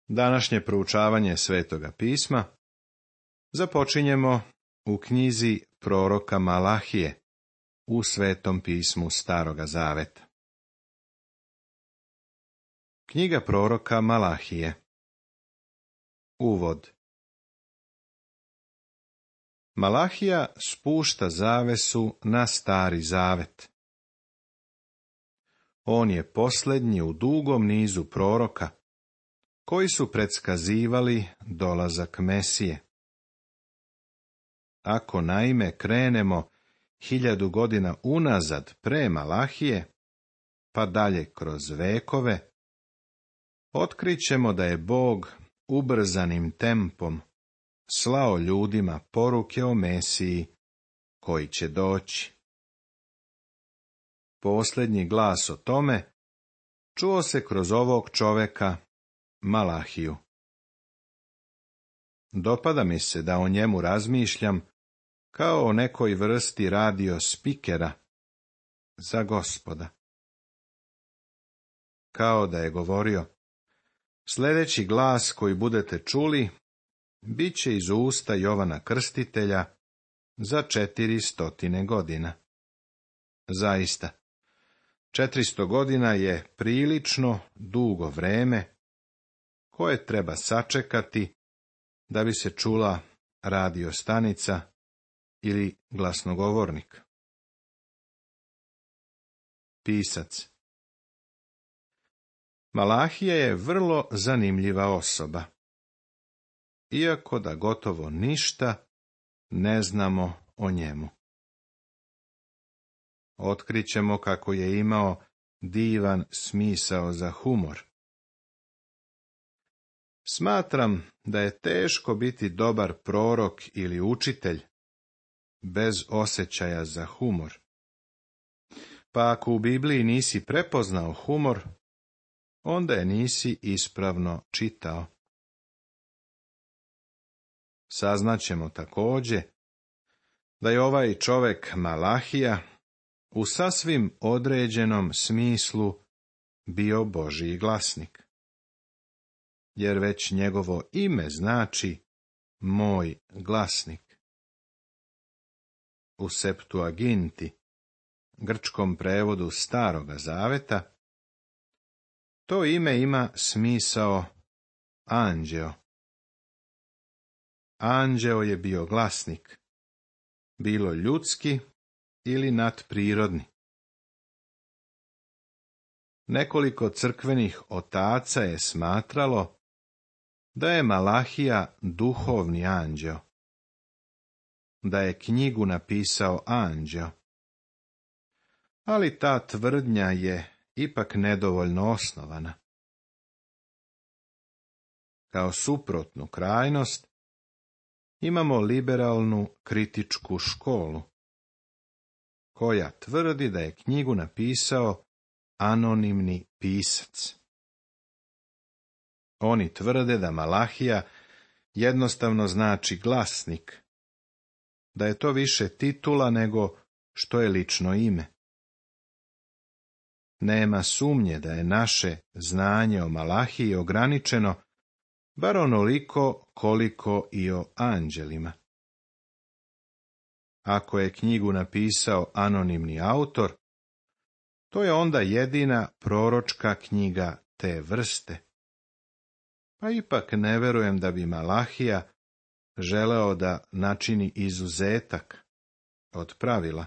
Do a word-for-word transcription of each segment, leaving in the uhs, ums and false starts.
Današnje proučavanje Svetoga pisma započinjemo u knjizi proroka Malahije u Svetom pismu Staroga zaveta. Knjiga proroka Malahije. Uvod. Malahija spušta zavesu na Stari zavet. On je posljednji u dugom nizu proroka koji su predskazivali dolazak Mesije. Ako naime krenemo hiljadu godina unazad pre Malahije, pa dalje kroz vekove, otkrićemo da je Bog ubrzanim tempom slao ljudima poruke o Mesiji koji će doći. Posljednji glas o tome čuo se kroz ovog čoveka, Malahiju. Dopada mi se da o njemu razmišljam kao o nekoj vrsti radio spikera za Gospoda. Kao da je govorio: sljedeći glas koji budete čuli bit će iz usta Jovana Krstitelja za četiri stotine godina. Zaista, četiristo godina je prilično dugo vreme koje treba sačekati da bi se čula radio stanica ili glasnogovornik. Pisac. Malahija je vrlo zanimljiva osoba, iako da gotovo ništa ne znamo o njemu. Otkrićemo kako je imao divan smisao za humor. Smatram da je teško biti dobar prorok ili učitelj bez osjećaja za humor. Pa ako u Bibliji nisi prepoznao humor, onda je nisi ispravno čitao. Saznaćemo također da je ovaj čovjek Malahija u sasvim određenom smislu bio Božji glasnik, jer već njegovo ime znači moj glasnik. U Septuaginti, grčkom prevodu Staroga zaveta, to ime ima smisao anđeo. Anđeo je bio glasnik, bilo ljudski ili nadprirodni. Nekoliko crkvenih otaca je smatralo da je Malahija duhovni anđeo, da je knjigu napisao anđeo. Ali ta tvrdnja je ipak nedovoljno osnovana. Kao suprotnu krajnost imamo liberalnu kritičku školu, koja tvrdi da je knjigu napisao anonimni pisac. Oni tvrde da Malahija jednostavno znači glasnik, da je to više titula nego što je lično ime. Nema sumnje da je naše znanje o Malahiji ograničeno, bar onoliko koliko i o anđelima. Ako je knjigu napisao anonimni autor, to je onda jedina proročka knjiga te vrste. Pa ipak ne verujem da bi Malahija želeo da načini izuzetak od pravila,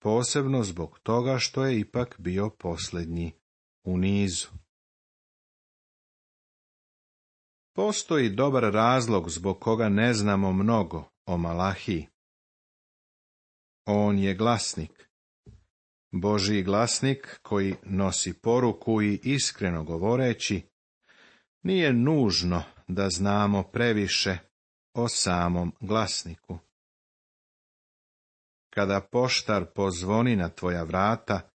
posebno zbog toga što je ipak bio posljednji u nizu. Postoji dobar razlog zbog koga ne znamo mnogo o Malahiji. On je glasnik, Božji glasnik koji nosi poruku i iskreno govoreći, nije nužno da znamo previše o samom glasniku. Kada poštar pozvoni na tvoja vrata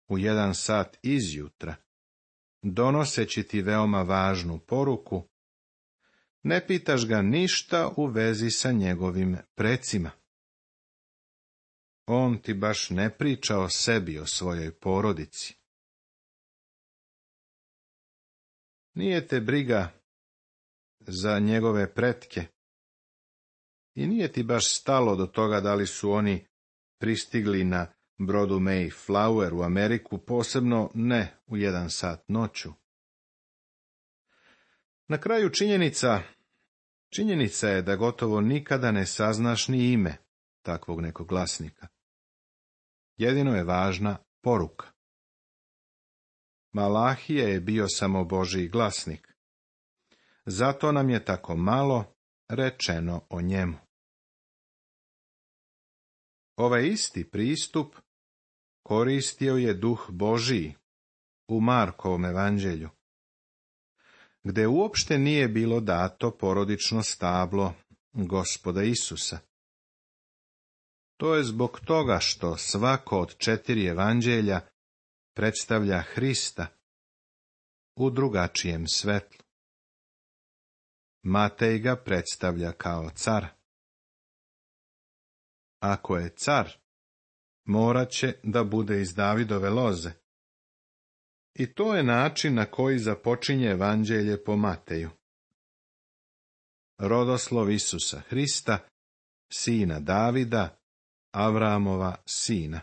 u jedan sat izjutra, donoseći ti veoma važnu poruku, ne pitaš ga ništa u vezi sa njegovim precima. On ti baš ne priča o sebi, o svojoj porodici. Nije te briga za njegove pretke i nije ti baš stalo do toga da li su oni pristigli na brodu Mayflower u Ameriku, posebno ne u jedan sat noću. Na kraju činjenica, činjenica je da gotovo nikada ne saznaš ni ime takvog nekog glasnika. Jedino je važna poruka. Malahija je bio samo Božji glasnik. Zato nam je tako malo rečeno o njemu. Ovaj isti pristup koristio je Duh Božiji u Markovom evanđelju, gde uopšte nije bilo dato porodično stablo Gospoda Isusa. To je zbog toga što svako od četiri evanđelja predstavlja Hrista u drugačijem svetlu. Matej ga predstavlja kao car. Ako je car, morat će da bude iz Davidove loze. I to je način na koji započinje evanđelje po Mateju. Rodoslov Isusa Hrista, sina Davida, Avramova sina.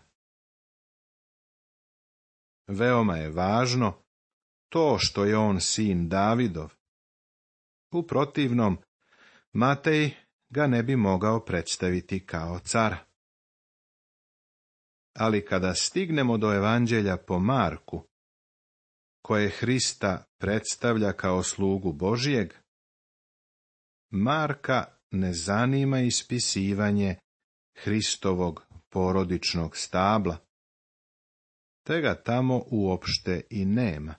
Veoma je važno to što je on sin Davidov. U protivnom, Matej ga ne bi mogao predstaviti kao cara. Ali kada stignemo do evanđelja po Marku, koje Hrista predstavlja kao slugu Božijeg, Marka ne zanima ispisivanje Hristovog porodičnog stabla, te ga tamo uopšte i nema.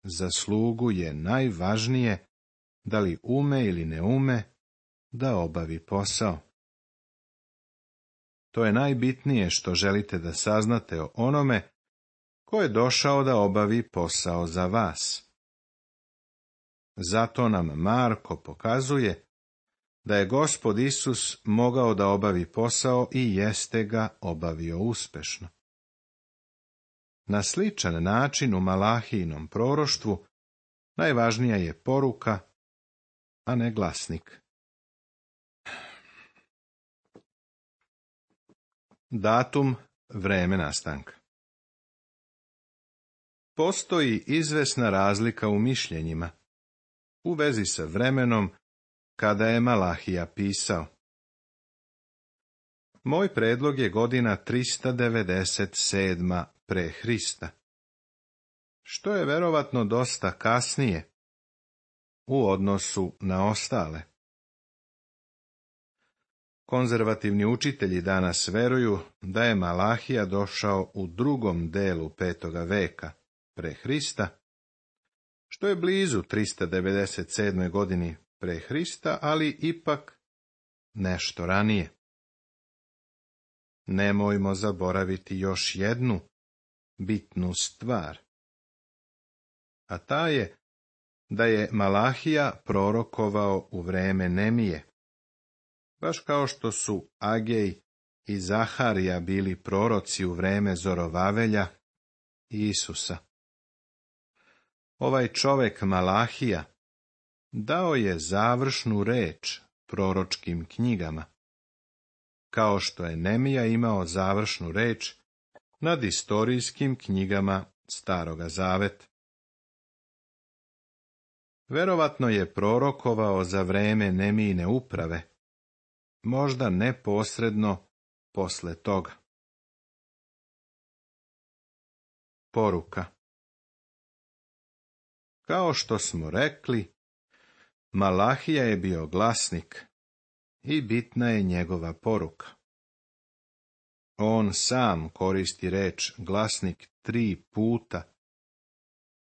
Za slugu je najvažnije da li ume ili ne ume da obavi posao. To je najbitnije što želite da saznate o onome ko je došao da obavi posao za vas. Zato nam Marko pokazuje da je Gospod Isus mogao da obavi posao i jeste ga obavio uspešno. Na sličan način u Malahijinom proroštvu najvažnija je poruka, a ne glasnik. Datum, vreme nastanka. Postoji izvesna razlika u mišljenjima u vezi sa vremenom kada je Malahija pisao. Moj predlog je godina trista devedeset sedma pre Hrista, što je verovatno dosta kasnije u odnosu na ostale. Konzervativni učitelji danas veruju da je Malahija došao u drugom delu petoga veka pre Hrista, što je blizu trista devedeset sedme godini pre Hrista, ali ipak nešto ranije. Nemojmo zaboraviti još jednu bitnu stvar, a ta je da je Malahija prorokovao u vreme Nemije, baš kao što su Agej i Zaharija bili proroci u vreme Zorovavelja i Isusa. Ovaj čovek Malahija dao je završnu reč proročkim knjigama, kao što je Nemija imao završnu reč nad istorijskim knjigama Staroga zaveta. Verovatno je prorokovao za vreme Nemijine uprave, možda neposredno posle toga. Poruka. Kao što smo rekli, Malahija je bio glasnik i bitna je njegova poruka. On sam koristi reč glasnik tri puta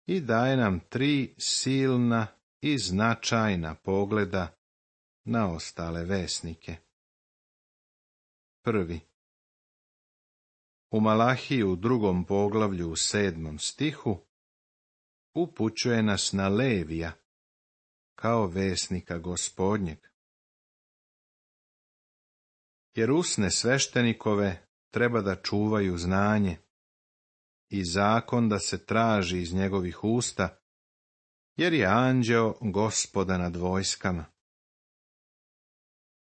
i daje nam tri silna i značajna pogleda na ostale vesnike. Prvi. U Malahiji u drugom poglavlju u sedmom stihu upućuje nas na Levija kao vesnika Gospodnjeg. Jer usne sveštenikove treba da čuvaju znanje i zakon da se traži iz njegovih usta, jer je anđeo Gospoda nad vojskama.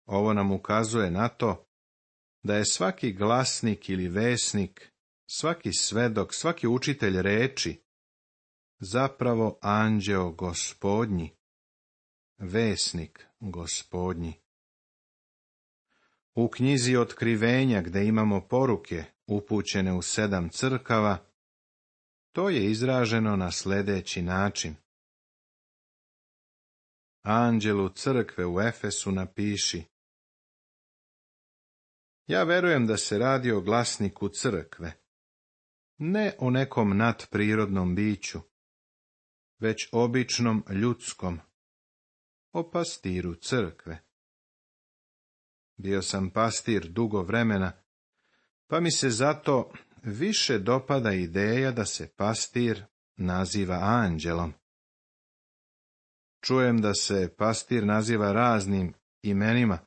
Ovo nam ukazuje na to da je svaki glasnik ili vesnik, svaki svedok, svaki učitelj reči zapravo anđeo Gospodnji, vesnik Gospodnji. U knjizi Otkrivenja, gde imamo poruke upućene u sedam crkava, to je izraženo na sljedeći način. Anđelu crkve u Efesu napiši: Ja verujem da se radi o glasniku crkve, ne o nekom nadprirodnom biću, već običnom ljudskom, o pastiru crkve. Bio sam pastir dugo vremena, pa mi se zato više dopada ideja da se pastir naziva anđelom. Čujem da se pastir naziva raznim imenima,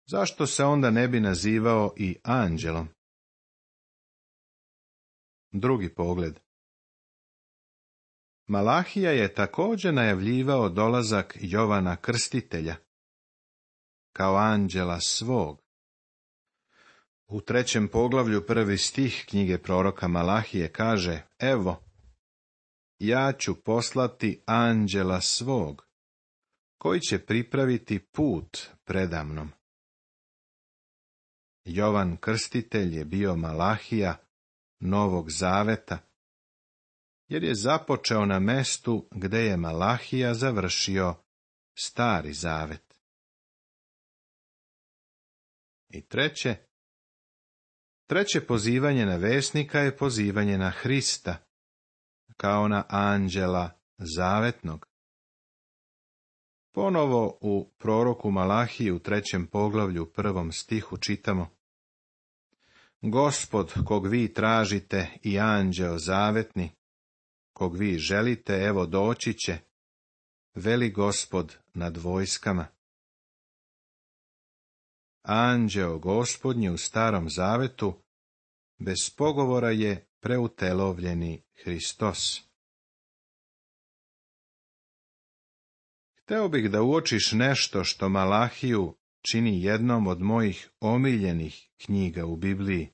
zašto se onda ne bi nazivao i anđelom? Drugi pogled. Malahija je također najavljivao dolazak Jovana Krstitelja kao anđela svog. U trećem poglavlju prvi stih knjige proroka Malahije kaže: Evo, ja ću poslati anđela svog, koji će pripraviti put predamnom. Jovan Krstitelj je bio Malahija Novog Zaveta, jer je započeo na mestu gde je Malahija završio Stari Zavet. I treće, treće pozivanje na vesnika je pozivanje na Hrista, kao na anđela zavetnog. Ponovo u proroku Malahiji u trećem poglavlju prvom stihu čitamo: Gospod, kog vi tražite, i anđeo zavetni, kog vi želite, evo doći će, veli Gospod nad vojskama. Anđeo Gospodnji u Starom Zavetu bez pogovora je preutelovljeni Hristos. Hteo bih da uočiš nešto što Malahiju čini jednom od mojih omiljenih knjiga u Bibliji.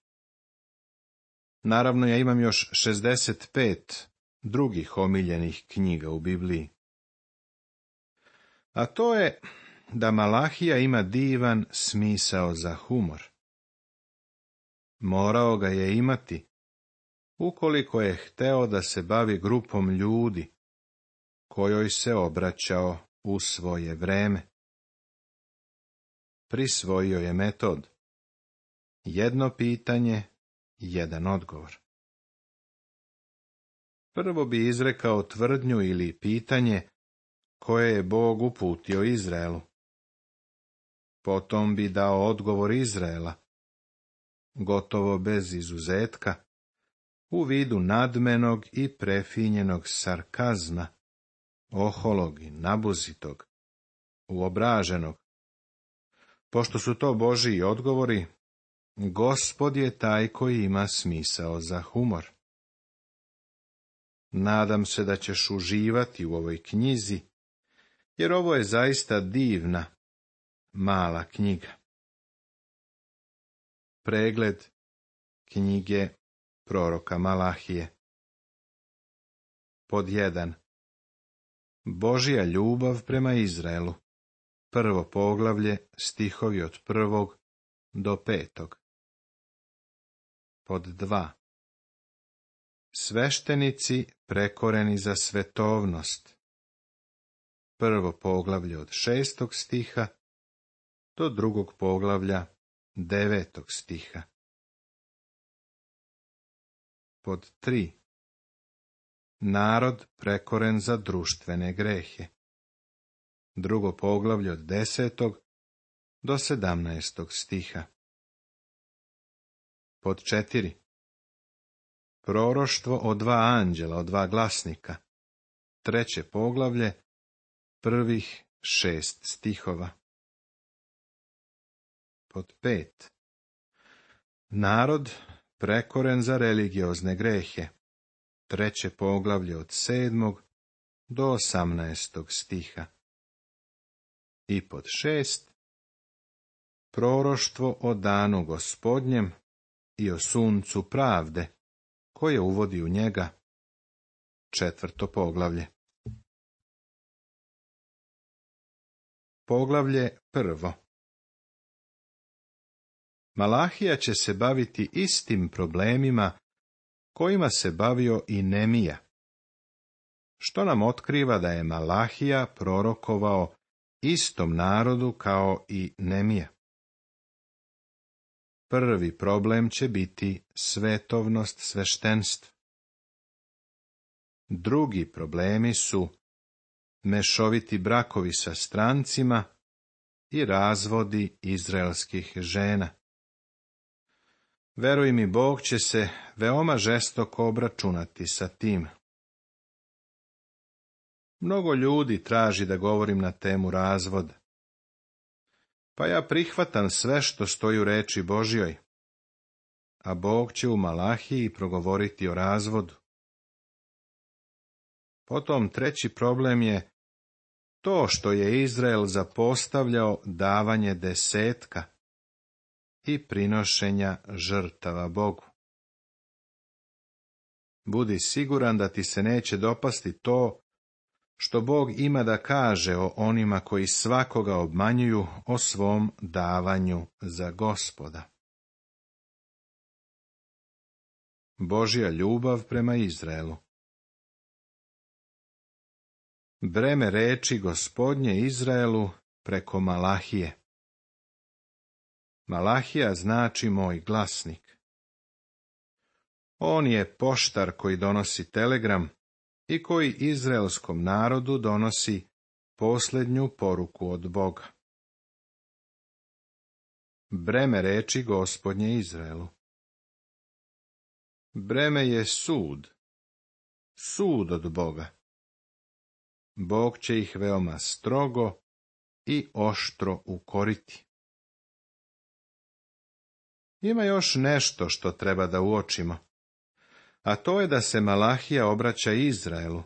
Naravno, ja imam još šezdeset pet drugih omiljenih knjiga u Bibliji. A to je da Malahija ima divan smisao za humor. Morao ga je imati, ukoliko je hteo da se bavi grupom ljudi, kojoj se obraćao u svoje vreme. Prisvojio je metod: jedno pitanje, jedan odgovor. Prvo bi izrekao tvrdnju ili pitanje koje je Bog uputio Izraelu. Potom bi dao odgovor Izraela, gotovo bez izuzetka, u vidu nadmenog i prefinjenog sarkazma, oholog i nabuzitog, uobraženog. Pošto su to Božiji odgovori, Gospod je taj koji ima smisao za humor. Nadam se da ćeš uživati u ovoj knjizi, jer ovo je zaista divna, mala knjiga. Pregled knjige proroka Malahije. Pod jedan. Božja ljubav prema Izraelu. Prvo poglavlje, stihovi od prvog do petog. Pod dva. Sveštenici prekoreni za svetovnost. Prvo poglavlje od šestog stiha do drugog poglavlja devetog stiha. Pod tri. Narod prekoren za društvene grehe. Drugo poglavlje od desetog do sedamnaestog stiha. Pod četiri. Proroštvo o dva anđela, o dva glasnika. Treće poglavlje, prvih šest stihova. Pod pet. Narod prekoren za religiozne grehe. treće poglavlje od sedmog do osamnaestog stiha. I pod šest, proroštvo o danu Gospodnjem i o suncu pravde, koje uvodi u njega, četvrto poglavlje. Poglavlje prvo. Malahija će se baviti istim problemima kojima se bavio i Nemija, što nam otkriva da je Malahija prorokovao istom narodu kao i Nemija. Prvi problem će biti svetovnost sveštenstva. Drugi problemi su mešoviti brakovi sa strancima i razvodi izraelskih žena. Veruj mi, Bog će se veoma žestoko obračunati sa tim. Mnogo ljudi traži da govorim na temu razvoda. Pa ja prihvatam sve što stoji u reči Božjoj, a Bog će u Malahiji progovoriti o razvodu. Potom treći problem je to što je Izrael zapostavljao davanje desetka i prinošenja žrtava Bogu. Budi siguran da ti se neće dopasti to što Bog ima da kaže o onima koji svakoga obmanjuju o svom davanju za Gospoda. Božja ljubav prema Izraelu. Breme reči Gospodnje Izraelu preko Malahije. Malahija znači moj glasnik. On je poštar koji donosi telegram i koji izraelskom narodu donosi posljednju poruku od Boga. Breme reči Gospodnje Izraelu. Breme je sud, sud od Boga. Bog će ih veoma strogo i oštro ukoriti. Ima još nešto što treba da uočimo, a to je da se Malahija obraća Izraelu,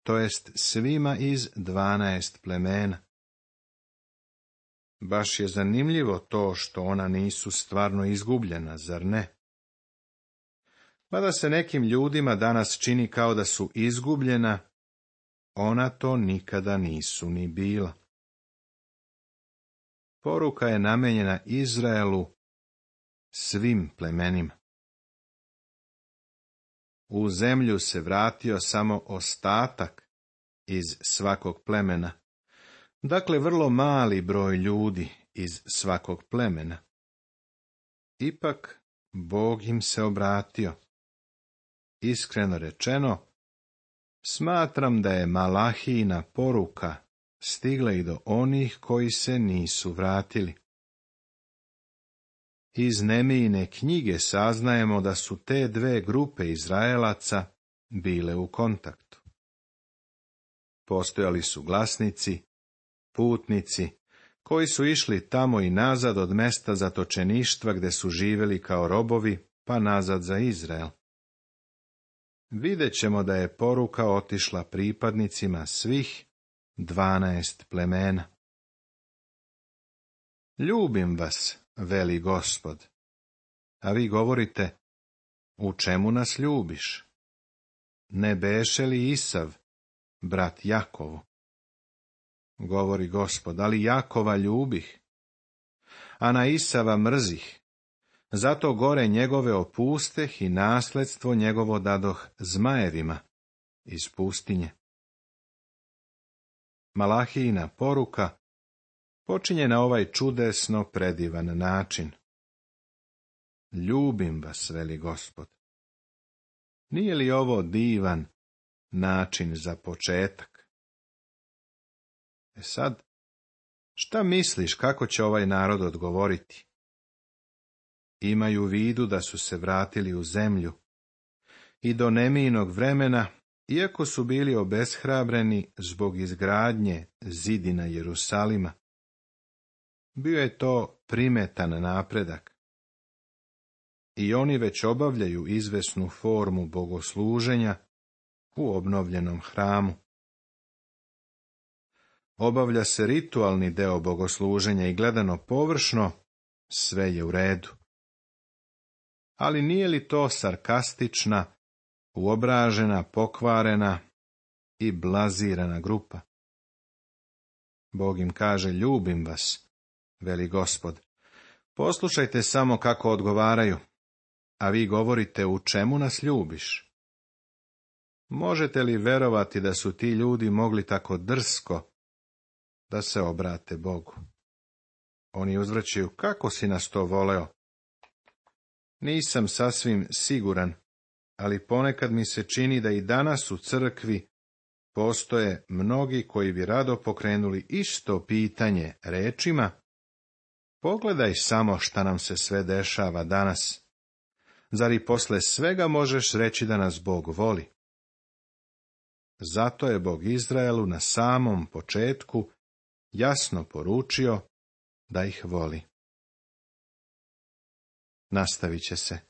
to jest svima iz dvanaest plemena. Baš je zanimljivo to što ona nisu stvarno izgubljena, zar ne? Mada se nekim ljudima danas čini kao da su izgubljena, ona to nikada nisu ni bila. Poruka je namenjena Izraelu, svim plemenima. U zemlju se vratio samo ostatak iz svakog plemena, dakle vrlo mali broj ljudi iz svakog plemena. Ipak Bog im se obratio. Iskreno rečeno, smatram da je Malahijina poruka stigla i do onih koji se nisu vratili. Iz Nemijine knjige saznajemo da su te dve grupe Izraelaca bile u kontaktu. Postojali su glasnici, putnici, koji su išli tamo i nazad od mesta zatočeništva gde su živjeli kao robovi, pa nazad za Izrael. Vidjet ćemo da je poruka otišla pripadnicima svih dvanaest plemena. Ljubim vas, veli Gospod, a vi govorite, u čemu nas ljubiš? Ne beše li Isav, brat Jakovu? Govori Gospod, ali Jakova ljubih, a na Isava mrzih. Zato gore njegove opusteh i nasledstvo njegovo dadoh zmajevima iz pustinje. Malahijina poruka počinje na ovaj čudesno predivan način. Ljubim vas, veli Gospod. Nije li ovo divan način za početak? E sad, šta misliš kako će ovaj narod odgovoriti? Imaju u vidu da su se vratili u zemlju i do Nemijinog vremena, iako su bili obeshrabreni zbog izgradnje zidina Jerusalima. Bio je to primetan napredak. i oni već obavljaju izvesnu formu bogosluženja u obnovljenom hramu. Obavlja se ritualni deo bogosluženja i gledano površno, sve je u redu. Ali nije li to sarkastična, uobražena, pokvarena i blazirana grupa? Bog im kaže, ljubim vas, veli Gospod. Poslušajte samo kako odgovaraju, a vi govorite, u čemu nas ljubiš? Možete li verovati da su ti ljudi mogli tako drsko da se obrate Bogu? Oni uzvraćaju, kako si nas to voleo? Nisam sasvim siguran, ali ponekad mi se čini da i danas u crkvi postoje mnogi koji bi rado pokrenuli isto pitanje rečima, pogledaj samo šta nam se sve dešava danas. Zar i posle svega možeš reći da nas Bog voli? Zato je Bog Izraelu na samom početku jasno poručio da ih voli. Nastavit će se.